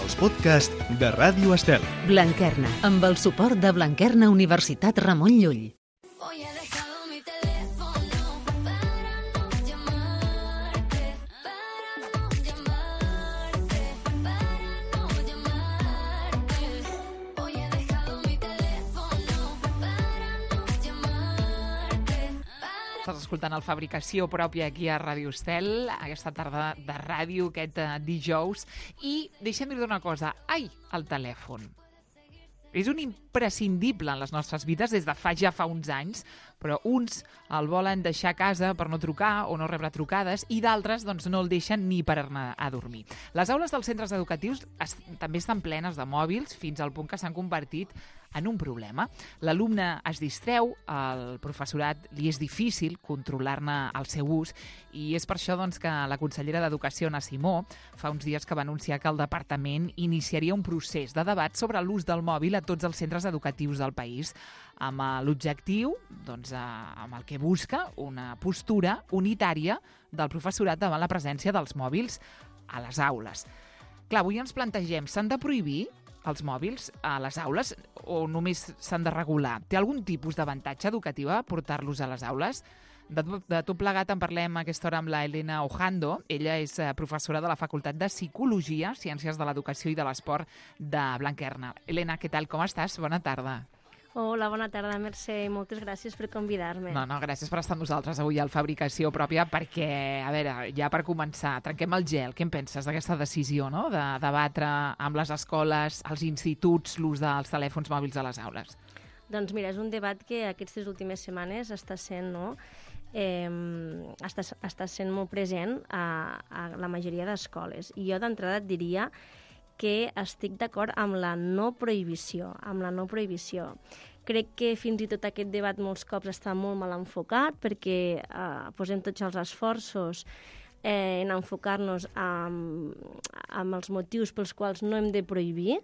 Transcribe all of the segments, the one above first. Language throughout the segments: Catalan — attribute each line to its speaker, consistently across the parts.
Speaker 1: els podcasts de Ràdio Estel.
Speaker 2: Blanquerna, amb el suport de Blanquerna Universitat Ramon Llull.
Speaker 3: Hoy he dejado mi teléfono para no llamarte, para no llamarte, para no llamarte. Hoy he dejado mi teléfono para no llamarte.
Speaker 4: Estàs escoltant el Fabricació Pròpia aquí a Ràdio Estel, aquesta tarda de ràdio, aquest dijous. I deixa'm dir-te una cosa. Ai, el telèfon. És un imprescindible en les nostres vides des de ja fa uns anys, però uns el volen deixar a casa per no trucar o no rebre trucades i d'altres doncs, no el deixen ni per anar a dormir. Les aules dels centres educatius també estan plenes de mòbils fins al punt que s'han convertit en un problema. L'alumne es distreu, al professorat li és difícil controlar-ne el seu ús i és per això doncs, que la consellera d'Educació, Anna Simó, fa uns dies que va anunciar que el departament iniciaria un procés de debat sobre l'ús del mòbil a tots els centres educatius del país, amb l'objectiu, doncs, amb el que busca una postura unitària del professorat davant la presència dels mòbils a les aules. Clar, avui ens plantegem, s'han de prohibir els mòbils a les aules o només s'han de regular? Té algun tipus d'avantatge educatiu portar-los a les aules? De tot plegat en parlem a aquesta hora amb la Elena Ojando. Ella és professora de la Facultat de Psicologia, Ciències de l'Educació i de l'Esport de Blanquerna. Elena, què tal? Com estàs? Bona tarda.
Speaker 5: Hola, bona tarda, Mercè, i moltes gràcies per convidar-me.
Speaker 4: No, gràcies per estar amb nosaltres avui al Fabricació Pròpia, perquè, a veure, ja per començar, trenquem el gel. Què en penses d'aquesta decisió, no?, de debatre amb les escoles, els instituts, l'ús dels telèfons mòbils a les aules?
Speaker 5: Doncs mira, és un debat que aquestes últimes setmanes està sent, no?, està sent molt present a la majoria d'escoles. I jo d'entrada et diria que estic d'acord amb la no prohibició, Crec que fins i tot aquest debat molts cops està molt mal enfocat perquè posem tots els esforços en enfocar-nos amb els motius pels quals no hem de prohibir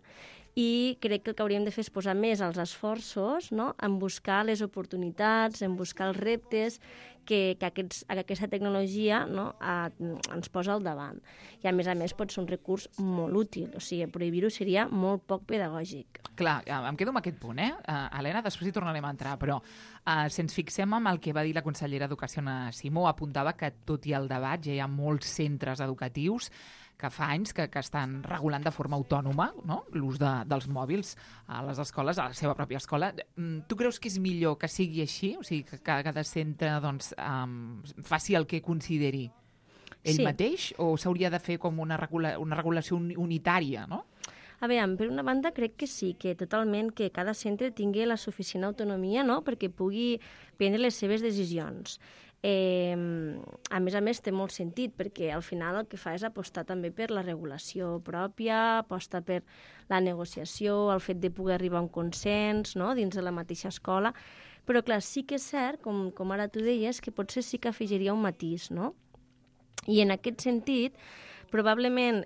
Speaker 5: i crec que el que hauríem de fer és posar més els esforços, no?, en buscar les oportunitats, en buscar els reptes que aquesta tecnologia, no?, ens posa al davant. I a més pot ser un recurs molt útil, o sigui, prohibir-ho seria molt poc pedagògic.
Speaker 4: Clar, em quedo amb aquest punt, Helena, després hi tornarem a entrar, però si ens fixem en el que va dir la consellera d'Educació, Anna Simó, apuntava que tot i el debat ja hi ha molts centres educatius que fa anys que estan regulant de forma autònoma, no?, l'ús dels mòbils a les escoles, a la seva pròpia escola. Tu creus que és millor que sigui així? O sigui, que cada centre doncs, faci el que consideri ell mateix? O s'hauria de fer com una regulació unitària, no?
Speaker 5: A veure, per una banda crec que sí, que totalment que cada centre tingui la suficient autonomia, no?, perquè pugui prendre les seves decisions. A més, té molt sentit, perquè al final el que fa és apostar també per la regulació pròpia, aposta per la negociació, el fet de poder arribar a un consens, no?, dins de la mateixa escola. Però, clar, sí que és cert, com ara tu deies, que potser sí que afegiria un matís, no? I en aquest sentit, probablement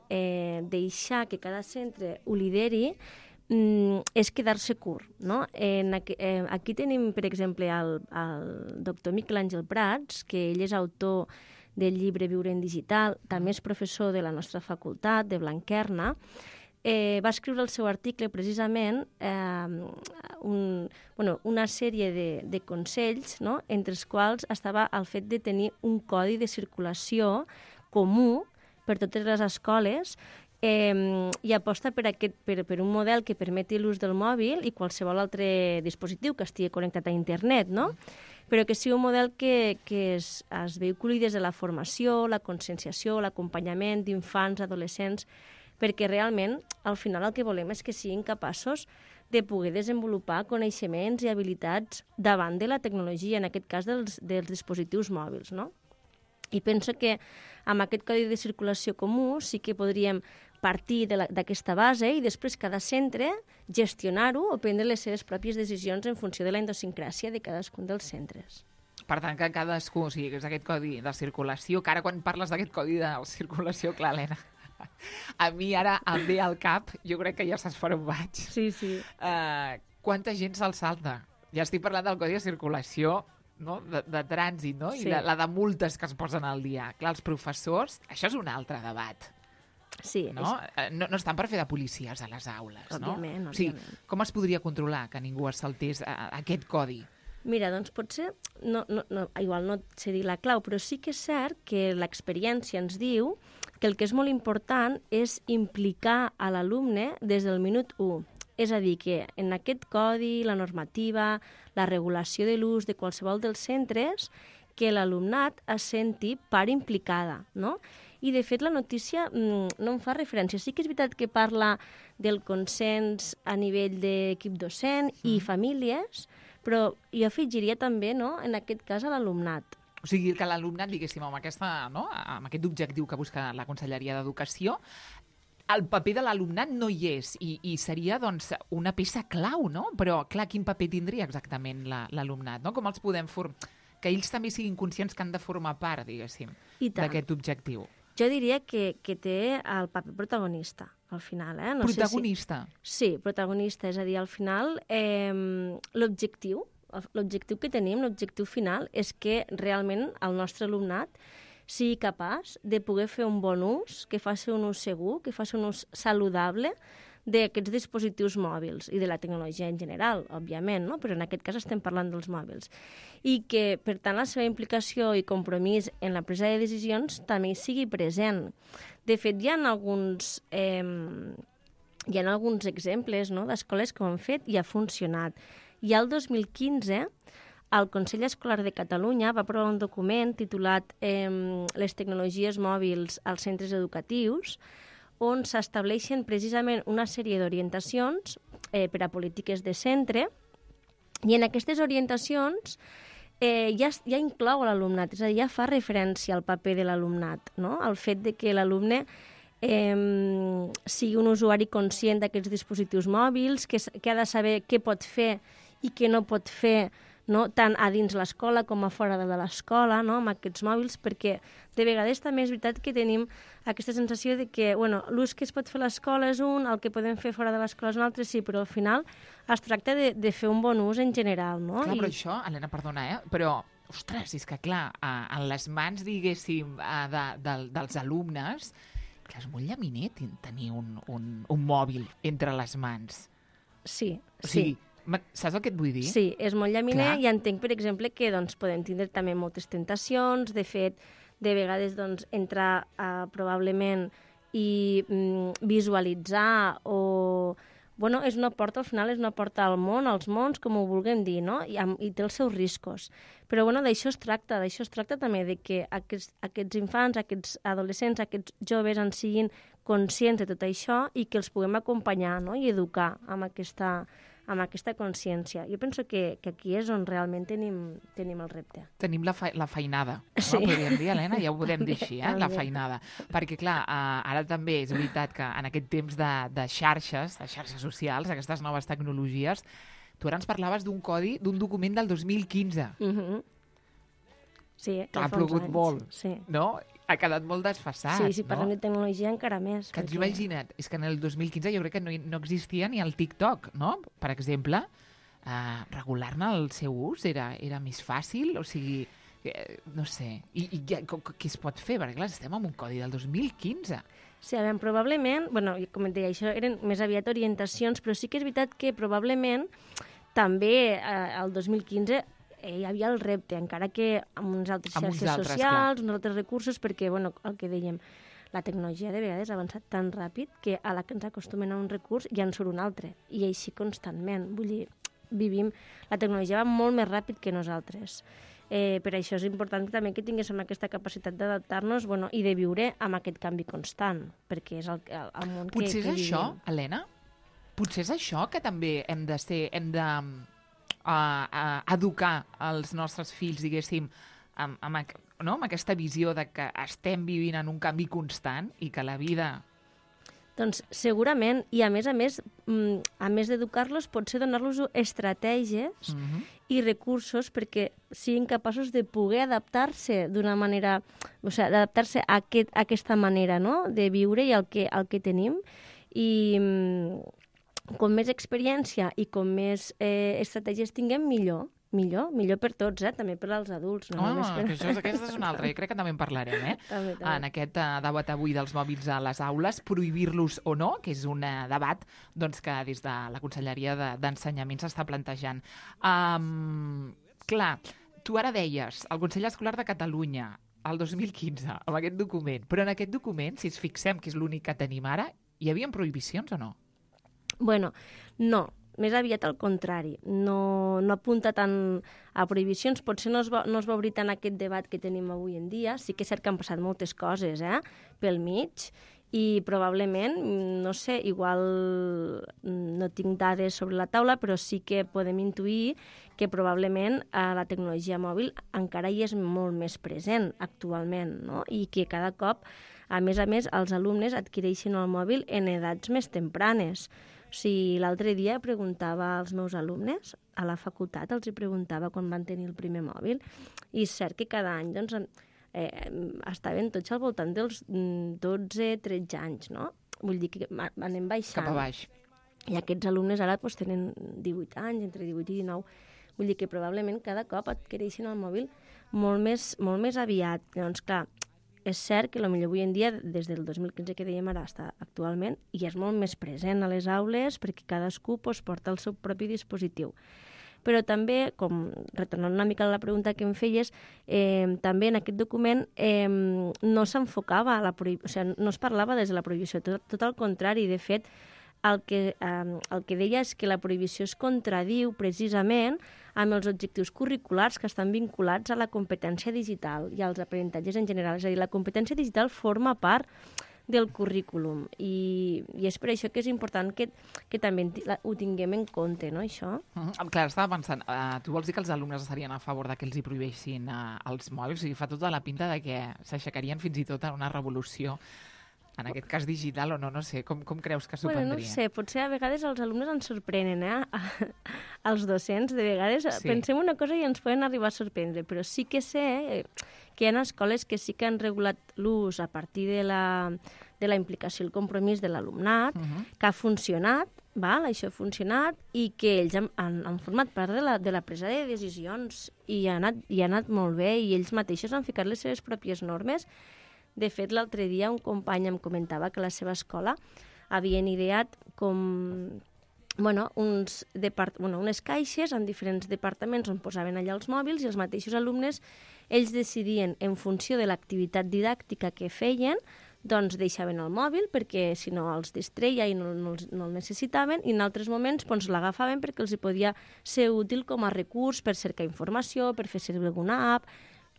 Speaker 5: deixar que cada centre ho lideri és quedar-se curt, no? Aquí tenim, per exemple, el doctor Miquel Àngel Prats, que ell és autor del llibre Viure en Digital, també és professor de la nostra facultat, de Blanquerna. Va escriure el seu article precisament una sèrie de consells, no?, entre els quals estava el fet de tenir un codi de circulació comú per totes les escoles i aposta per un model que permeti l'ús del mòbil i qualsevol altre dispositiu que estigui connectat a internet, no?, però que sigui un model que es vehiculi des de la formació, la conscienciació, l'acompanyament d'infants, adolescents, perquè realment, al final, el que volem és que siguin capaços de poder desenvolupar coneixements i habilitats davant de la tecnologia, en aquest cas dels dispositius mòbils, no? I penso que amb aquest codi de circulació comú sí que podríem partir d'aquesta base i després cada centre gestionar-ho o prendre les seves pròpies decisions en funció de la idiosincràsia de cadascun dels centres.
Speaker 4: Per tant, que cadascú, o sigui, és aquest codi de circulació, que ara quan parles d'aquest codi de circulació, clar, Helena, a mi ara em ve al cap, jo crec que ja saps per on vaig.
Speaker 5: Sí.
Speaker 4: Quanta gent se'l salta? Ja estic parlant del codi de circulació, no?, de trànsit, no?, i la de multes que es posen al dia. Clar, els professors, això és un altre debat.
Speaker 5: Sí,
Speaker 4: no? No estan per fer de policies a les aules,
Speaker 5: Òbviament,
Speaker 4: no? O sigui,
Speaker 5: òbviament.
Speaker 4: com es podria controlar que ningú es saltés aquest codi?
Speaker 5: Mira, doncs potser, igual no et sé dir la clau, però sí que és cert que l'experiència ens diu que el que és molt important és implicar a l'alumne des del minut 1. És a dir, que en aquest codi, la normativa, la regulació de l'ús de qualsevol dels centres, que l'alumnat es senti part implicada, no? I, de fet, la notícia no en fa referència. Sí que és veritat que parla del consens a nivell d'equip docent i famílies, però jo afegiria també, no?, en aquest cas, a l'alumnat.
Speaker 4: O sigui, que l'alumnat, diguéssim, amb aquest objectiu que busca la Conselleria d'Educació, el paper de l'alumnat no hi és i seria, doncs, una peça clau, no? Però, clar, quin paper tindria exactament l'alumnat, no? Com els podem que ells també siguin conscients que han de formar part, diguéssim, d'aquest objectiu.
Speaker 5: Jo diria que té el paper protagonista, al final. No
Speaker 4: protagonista?
Speaker 5: Sí, protagonista. És a dir, al final, l'objectiu que tenim, l'objectiu final, és que realment el nostre alumnat sigui capaç de poder fer un bon ús, que faci un ús segur, que faci un ús saludable d'aquests dispositius mòbils i de la tecnologia en general, òbviament, no? Però en aquest cas estem parlant dels mòbils. I que, per tant, la seva implicació i compromís en la presa de decisions també sigui present. De fet, hi ha alguns exemples, no?, d'escoles que ho han fet i ha funcionat. I el 2015, el Consell Escolar de Catalunya va aprovar un document titulat Les tecnologies mòbils als centres educatius, on s'estableixen precisament una sèrie d'orientacions per a polítiques de centre, i en aquestes orientacions ja inclou l'alumnat, és a dir, ja fa referència al paper de l'alumnat, no? El fet de que l'alumne sigui un usuari conscient d'aquests dispositius mòbils, que ha de saber què pot fer i què no pot fer, no?, tant a dins l'escola com a fora de l'escola, no?, amb aquests mòbils, perquè de vegades també és veritat que tenim aquesta sensació de que l'ús que es pot fer a l'escola és un, el que podem fer fora de l'escola és un altre, sí, però al final es tracta de fer un bon ús en general, no?
Speaker 4: Clar, però això, Helena, perdona, però, ostres, és que clar, en les mans, diguéssim, dels alumnes, clar, és molt llaminer tenir un mòbil entre les mans.
Speaker 5: Sí,
Speaker 4: o sigui, saps el que et vull dir?
Speaker 5: Sí, és molt llaminer.
Speaker 4: Clar.
Speaker 5: I entenc, per exemple, que podem tindre també moltes tentacions. De fet, de vegades entrar probablement i visualitzar o... és una porta, al final és una porta al món, als mons, com ho vulguem dir, no? I té els seus riscos. Però d'això es tracta també, de que aquests infants, aquests adolescents, aquests joves en siguin conscients de tot això i que els puguem acompanyar, no?, i educar amb aquesta consciència. Jo penso que aquí és on realment tenim el repte.
Speaker 4: Tenim la feinada, no?
Speaker 5: Sí.
Speaker 4: Podríem dir, Helena, ja ho podem dir així, la feinada. Perquè, clar, ara també és veritat que en aquest temps de xarxes socials, aquestes noves tecnologies, tu ara ens parlaves d'un codi, d'un document del 2015.
Speaker 5: Sí,
Speaker 4: ha plogut molt,
Speaker 5: sí.
Speaker 4: No? Ha quedat molt desfasat,
Speaker 5: Sí, si parlem de tecnologia encara més.
Speaker 4: Que imagina't, és que en el 2015 jo crec que no existia ni el TikTok, no? Per exemple, regular-ne el seu ús era més fàcil, o sigui, no sé, i què es pot fer? Perquè clar, estem en un codi del 2015.
Speaker 5: Sí, probablement, com et deia, això eren més aviat orientacions, però sí que és veritat que probablement també el 2015 hi havia el repte, encara que amb uns altres xarxes socials, uns altres recursos, perquè, el que dèiem, la tecnologia de vegades ha avançat tan ràpid que a la que ens acostumen a un recurs ja en surt un altre, i així constantment. Vull dir, la tecnologia va molt més ràpid que nosaltres. Per això és important també que tinguéssim aquesta capacitat d'adaptar-nos i de viure amb aquest canvi constant, perquè és el món que vivim.
Speaker 4: Potser és això, Helena? Potser és això que també hem de educar els nostres fills, diguéssim, amb aquesta visió de que estem vivint en un canvi constant i que la vida...
Speaker 5: Doncs segurament, i a més d'educar-los, potser donar-los estratègies i recursos perquè siguin capaços de poder adaptar-se d'una manera, d'adaptar-se a aquesta manera, no?, de viure i al que tenim. I com més experiència i com més estratègies tinguem, millor, millor per tots, també per als adults. No només per...
Speaker 4: que aquesta és una altra, jo crec que també en parlarem,
Speaker 5: També.
Speaker 4: En aquest debat avui dels mòbils a les aules, prohibir-los o no, que és un debat doncs, que des de la Conselleria d'Ensenyament s'està plantejant. Clar, tu ara deies, el Consell Escolar de Catalunya, el 2015, amb aquest document, però en aquest document, si ens fixem que és l'únic que tenim ara, hi havia prohibicions o no?
Speaker 5: Bueno, no, més aviat al contrari. No apunta tant a prohibicions, potser no es va obrir tant aquest debat que tenim avui en dia. Sí que és cert que han passat moltes coses pel mig i probablement, no sé, igual no tinc dades sobre la taula, però sí que podem intuir que probablement la tecnologia mòbil encara hi és molt més present actualment, no? I que cada cop, a més, els alumnes adquireixen el mòbil en edats més tempranes. O sigui, l'altre dia preguntava als meus alumnes, a la facultat els hi preguntava quan van tenir el primer mòbil, i és cert que cada any doncs, estaven tots al voltant dels 12-13 anys, no? Vull dir que anem baixant.
Speaker 4: Cap a baix.
Speaker 5: I aquests alumnes ara doncs, tenen 18 anys, entre 18 i 19. Vull dir que probablement cada cop adquireixen el mòbil molt més aviat. Doncs clar, és cert que potser avui en dia, des del 2015 que dèiem ara fins actualment, hi és molt més present a les aules perquè cadascú porta el seu propi dispositiu. Però també, retornant una mica a la pregunta que em feies, també en aquest document no s'enfocava a la prohibició, o sigui, no es parlava des de la prohibició, tot al contrari. De fet, el que deia és que la prohibició es contradiu precisament amb els objectius curriculars que estan vinculats a la competència digital i als aprenentatges en general. És a dir, la competència digital forma part del currículum i és per això que és important que també ho tinguem en compte, no, això?
Speaker 4: Clar, estava pensant, tu vols dir que els alumnes estarien a favor de que els hi prohibeixin els mòbils? O sigui, fa tota la pinta de que s'aixecarien fins i tot a una revolució, en aquest cas digital o no, no sé, com creus que s'ho prendria?
Speaker 5: No sé, potser a vegades els alumnes ens sorprenen, els docents, de vegades pensem una cosa i ens poden arribar a sorprendre, però sí que sé que hi ha escoles que sí que han regulat l'ús a partir de la implicació i el compromís de l'alumnat, que ha funcionat, això ha funcionat, i que ells han format part de la presa de decisions i ha anat molt bé, i ells mateixos han ficat les seves pròpies normes. De fet, l'altre dia un company em comentava que a la seva escola havien ideat unes caixes en diferents departaments on posaven allà els mòbils, i els mateixos alumnes ells decidien, en funció de l'activitat didàctica que feien, doncs deixaven el mòbil perquè si no els distreia i no el necessitaven, i en altres moments l'agafaven perquè els podia ser útil com a recurs per cercar informació, per fer servir alguna app,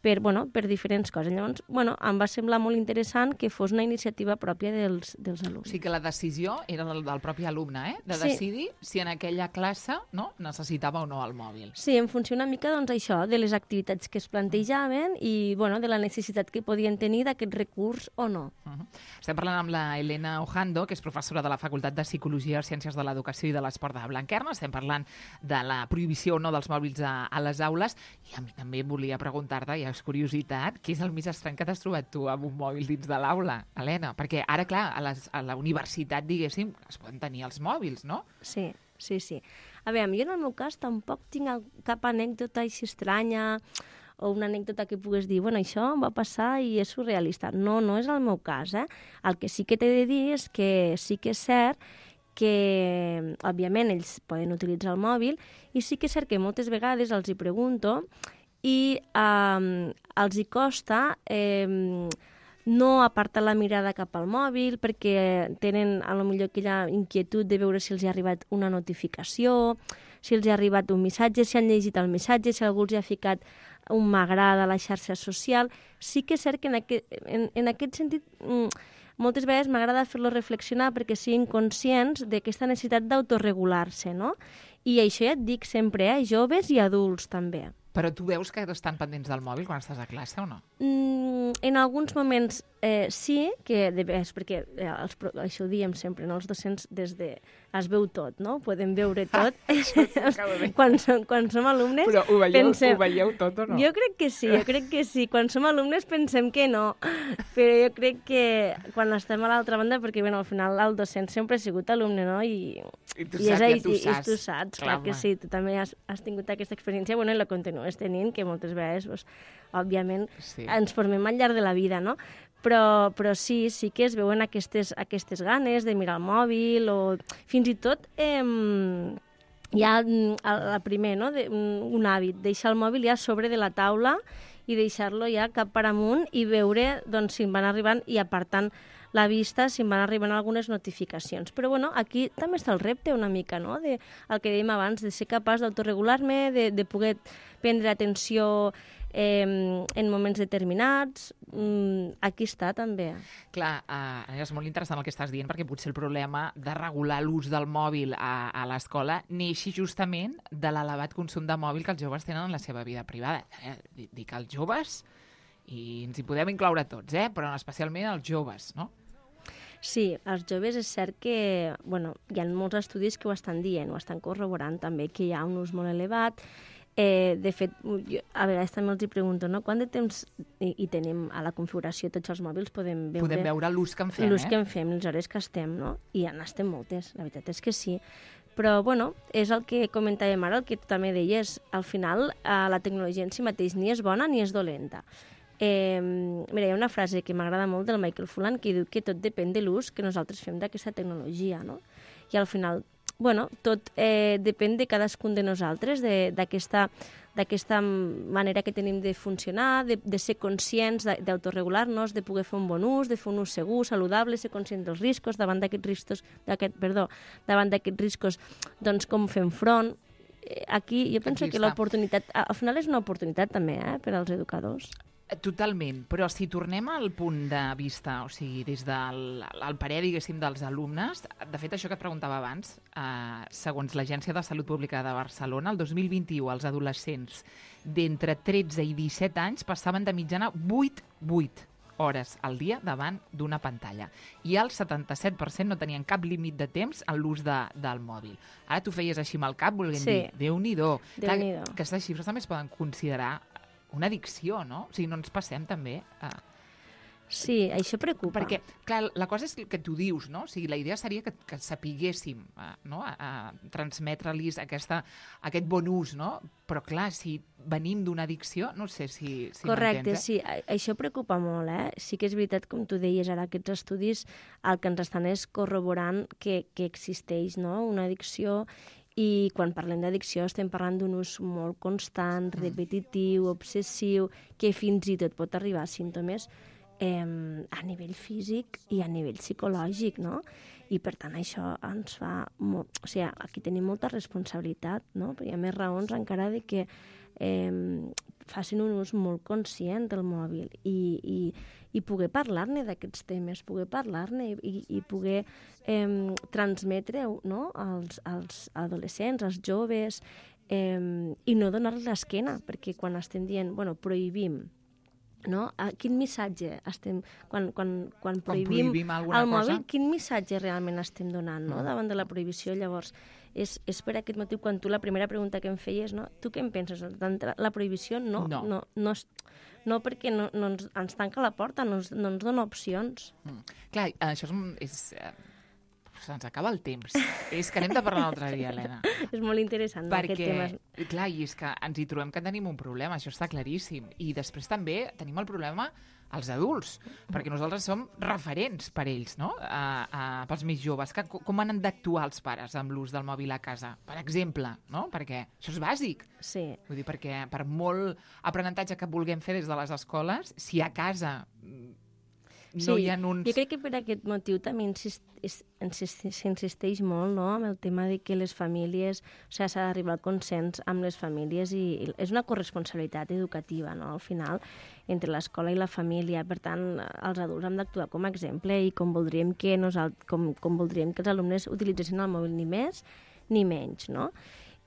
Speaker 5: per diferents coses. Llavors, em va semblar molt interessant que fos una iniciativa pròpia dels alumnes.
Speaker 4: O sigui que la decisió era del propi alumne, de decidir si en aquella classe necessitava o no el mòbil.
Speaker 5: Sí, en funció una mica això, de les activitats que es plantejaven i de la necessitat que podien tenir d'aquest recurs o no.
Speaker 4: Estem parlant amb la Elena Ojando, que és professora de la Facultat de Psicologia, Ciències de l'Educació i de l'Esport de Blanquerna. Estem parlant de la prohibició o no dels mòbils a les aules, i a mi també volia preguntar-te, ja és curiositat, què és el més estrany que t'has trobat tu amb un mòbil dins de l'aula, Helena? Perquè ara, clar, a la universitat, diguéssim, es poden tenir els mòbils, no?
Speaker 5: Sí. A veure, jo en el meu cas tampoc tinc cap anècdota així estranya o una anècdota que pugues dir, això em va passar i és surrealista. No és el meu cas, El que sí que t'he de dir és que sí que és cert que, òbviament, ells poden utilitzar el mòbil, i sí que és cert que moltes vegades els hi pregunto i els hi costa no apartar la mirada cap al mòbil perquè tenen potser aquella inquietud de veure si els ha arribat una notificació, si els ha arribat un missatge, si han llegit el missatge, si algú els ha ficat un m'agrada a la xarxa social. Sí que és cert que en aquest sentit moltes vegades m'agrada fer-los reflexionar perquè siguin conscients d'aquesta necessitat d'autoregular-se, no? I això ja et dic sempre, joves i adults també.
Speaker 4: Però tu veus que estan pendents del mòbil quan estàs a classe o no?
Speaker 5: En alguns moments sí, que és perquè això ho diem sempre, no? Els docents des de... es veu tot, no? Podem veure tot. quan som alumnes...
Speaker 4: Però ho veieu tot o no?
Speaker 5: Jo crec que sí. Quan som alumnes pensem que no, però jo crec que quan estem a l'altra banda, perquè bueno, al final el docent sempre ha sigut alumne, no? I
Speaker 4: tu saps,
Speaker 5: tu saps, clar que sí. Tu també has tingut aquesta experiència, bueno, i la continues tenint, que moltes vegades, doncs, òbviament, ens formem al llarg de la vida, no? Però sí que es veuen aquestes ganes de mirar el mòbil o fins i tot hi ha primer, no? Un hàbit, deixar el mòbil ja a sobre de la taula i deixar-lo ja cap per amunt i veure doncs, si em van arribant i apartant la vista si em van arribant algunes notificacions. Però bueno, aquí també està el repte una mica, no? El que dèiem abans, de ser capaç d'autoregular-me, de poder prendre atenció en moments determinats. Aquí està també.
Speaker 4: Clar, és molt interessant el que estàs dient, perquè potser el problema de regular l'ús del mòbil a l'escola neixi justament de l'elevat consum de mòbil que els joves tenen en la seva vida privada. Dic els joves, i ens hi podem incloure tots, però especialment els joves, no?
Speaker 5: Sí, els joves és cert que hi ha molts estudis que ho estan dient, ho estan corroborant també, que hi ha un ús molt elevat. De fet, a vegades també els hi pregunto, no? Quant de temps hi tenim a la configuració tots els mòbils? Podem
Speaker 4: veure l'ús que en fem,
Speaker 5: l'ús que en fem, les hores que estem, no? I en estem moltes, la veritat és que sí. Però, és el que comentàvem ara, el que tu també deies. Al final, la tecnologia en si mateix ni és bona ni és dolenta. Mira, hi ha una frase que m'agrada molt del Michael Fullan que diu que tot depèn de l'ús que nosaltres fem d'aquesta tecnologia, no? I al final, tot depèn de cadascun de nosaltres, d'aquesta manera que tenim de funcionar, de ser conscients, d'autoregular-nos, de poder fer un bon ús, de fer un ús segur, saludable, ser conscient dels riscos, davant d'aquests riscos, doncs com fem front. Aquí jo penso que l'oportunitat, al final és una oportunitat també per als educadors.
Speaker 4: Totalment, però si tornem al punt de vista, o sigui, des del parer, diguéssim, dels alumnes, de fet, això que et preguntava abans, segons l'Agència de Salut Pública de Barcelona, el 2021 els adolescents d'entre 13 i 17 anys passaven de mitjana 8 hores al dia davant d'una pantalla. I el 77% no tenien cap límit de temps en l'ús del mòbil. Ara tu feies així amb el cap, volent dir, Déu-n'hi-do. Aquestes xifres també es poden considerar una addicció, no? O sigui, no ens passem també
Speaker 5: Sí, això preocupa.
Speaker 4: Perquè, clar, la cosa és que tu dius, no? O sigui, la idea seria que sapiguéssim a transmetre-los aquest bon ús, no? Però, clar, si venim d'una addicció, no sé si
Speaker 5: correcte,
Speaker 4: m'entens,
Speaker 5: sí. Això preocupa molt, Sí que és veritat, com tu deies ara, aquests estudis el que ens estan és corroborant que existeix, no? Una addicció. I quan parlem d'addicció estem parlant d'un ús molt constant, repetitiu, obsessiu, que fins i tot pot arribar a símptomes a nivell físic i a nivell psicològic, no? I per tant això ens fa... O sigui, aquí tenim molta responsabilitat, no? Però hi ha més raons encara de que facin un ús molt conscient del mòbil i poder parlar-ne d'aquests temes, poder parlar-ne i poder transmetre, no? als adolescents, als joves, i no donar-los l'esquena, perquè quan estem dient, prohibim, no? Quin missatge estem... Quan prohibim el mòbil, quin missatge realment estem donant, no? Davant de la prohibició? Llavors, és per aquest motiu, quan tu la primera pregunta que em feies, no? Tu què en penses? La prohibició no perquè no ens tanca la porta, no ens dona opcions.
Speaker 4: Clar, això se'ns acaba el temps. És que anem de parlar un altre dia, Helena.
Speaker 5: És molt interessant, aquest tema.
Speaker 4: Clar, i és que ens hi trobem que tenim un problema, això està claríssim. I després també tenim el problema als adults, perquè nosaltres som referents per ells, no? Pels més joves. Com han d'actuar els pares amb l'ús del mòbil a casa? Per exemple, no? Perquè això és bàsic.
Speaker 5: Sí.
Speaker 4: Vull dir, perquè per molt aprenentatge que vulguem fer des de les escoles, si a casa no hi ha uns...
Speaker 5: Jo crec que per aquest motiu també s'insisteix molt, no?, amb el tema de que les famílies, o sigui, s'ha d'arribar al consens amb les famílies i és una corresponsabilitat educativa, no?, al final, entre l'escola i la família. Per tant, els adults hem d'actuar com a exemple i com voldríem que els alumnes utilitzessin el mòbil ni més ni menys, no?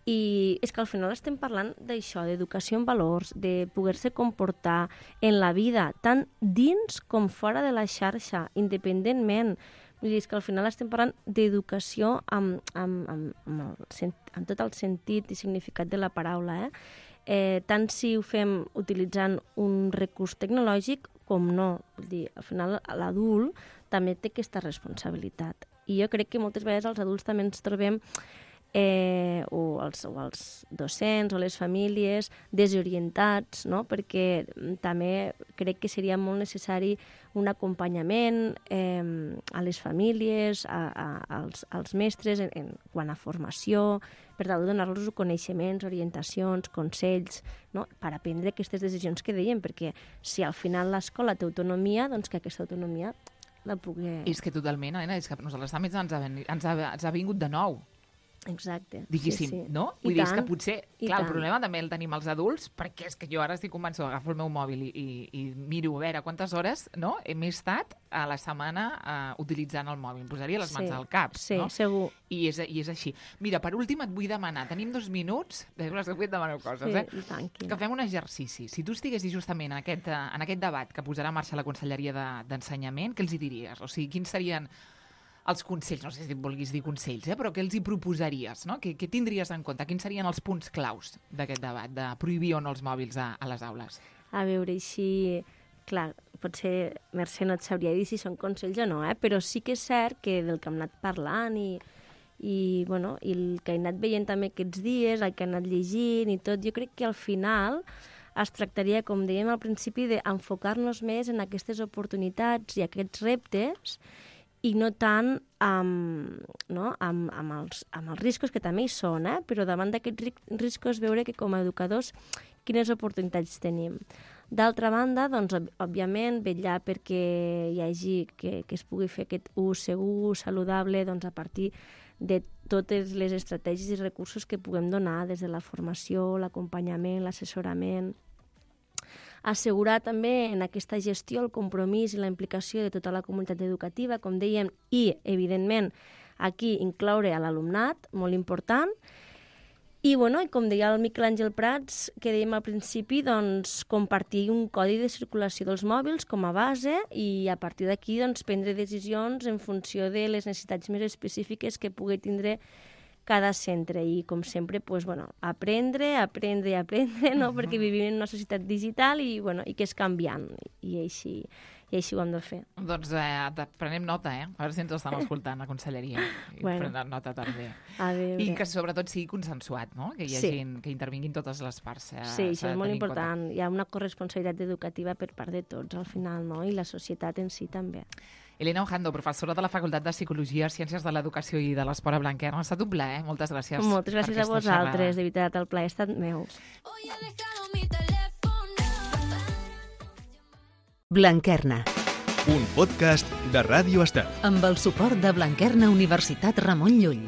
Speaker 5: I és que al final estem parlant d'això, d'educació en valors, de poder-se comportar en la vida, tant dins com fora de la xarxa, independentment. Vull dir, és que al final estem parlant d'educació amb tot el sentit i significat de la paraula, tant si ho fem utilitzant un recurs tecnològic com no. Vull dir, al final l'adult també té aquesta responsabilitat. I jo crec que moltes vegades els adults també ens trobem o els docents o les famílies desorientats, no? Perquè també crec que seria molt necessari un acompanyament a les famílies, als mestres en quant a formació, per tal de donar-los coneixements, orientacions, consells, no? Per aprendre aquestes decisions que dèiem, perquè si al final l'escola té autonomia, doncs que aquesta autonomia la pugui...
Speaker 4: És que totalment, Helena, és que a nosaltres també ens ha vingut de nou.
Speaker 5: Exacte.
Speaker 4: Diguéssim,
Speaker 5: sí.
Speaker 4: no?
Speaker 5: I
Speaker 4: Vull dir, és
Speaker 5: tant,
Speaker 4: que potser,
Speaker 5: i
Speaker 4: clar, el
Speaker 5: tant.
Speaker 4: problema també el tenim els adults, perquè és que jo ara estic convençuda, agafo el meu mòbil i miro a veure quantes hores, no?, m'he estat a la setmana utilitzant el mòbil. Em posaria les mans al cap,
Speaker 5: sí,
Speaker 4: no?
Speaker 5: segur.
Speaker 4: I és així. Mira, per últim et vull demanar, tenim 2 minuts, després que et demano coses,
Speaker 5: Sí, i tant,
Speaker 4: que fem un exercici. Si tu estiguessis justament en aquest debat que posarà en marxa la Conselleria d'Ensenyament, què els hi diries? O sigui, quins serien els consells, no sé si vulguis dir consells, però què els hi proposaries, no? Què tindries en compte? Quins serien els punts claus d'aquest debat, de prohibir o no els mòbils a les aules?
Speaker 5: A veure, així... Clar, potser Mercè no et sabria dir si són consells o no, però sí que és cert que del que hem anat parlant i el que he anat veient també aquests dies, el que he anat llegint i tot, jo crec que al final es tractaria, com dèiem al principi, d'enfocar-nos més en aquestes oportunitats i aquests reptes i no tant amb els riscos, que també hi són, però davant d'aquests riscos veure que com a educadors quines oportunitats tenim. D'altra banda, doncs, òbviament, vetllar perquè hi hagi, que es pugui fer aquest ús segur, saludable, doncs, a partir de totes les estratègies i recursos que puguem donar, des de la formació, l'acompanyament, l'assessorament. Assegurar també en aquesta gestió el compromís i la implicació de tota la comunitat educativa, com dèiem, i, evidentment, aquí incloure a l'alumnat, molt important. I, com deia el Miquel Àngel Prats, que dèiem al principi, doncs, compartir un codi de circulació dels mòbils com a base i a partir d'aquí doncs, prendre decisions en funció de les necessitats més específiques que pugui tindre cada centre i, com sempre, aprendre, no? Perquè vivim en una societat digital i que és canviant i així ho hem de fer.
Speaker 4: Doncs prenem nota, a veure si ens estan escoltant a Conselleria. Prenem nota també. I que sobretot sigui consensuat, no? Que hi hagi, que intervinguin totes les parts.
Speaker 5: Sí, això és molt important. Hi ha una corresponsabilitat educativa per part de tots al final, no? I la societat en si també.
Speaker 4: Elena Ojando, professora de la Facultat de Psicologia, Ciències de l'Educació i de l'Esport a Blanquerna. Ha estat un plaer, moltes gràcies.
Speaker 5: Moltes gràcies a vosaltres, de veritat, el plaer ha estat meu.
Speaker 2: Blanquerna.
Speaker 1: Un podcast de Ràdio Estel.
Speaker 2: Amb el suport de Blanquerna Universitat Ramon Llull.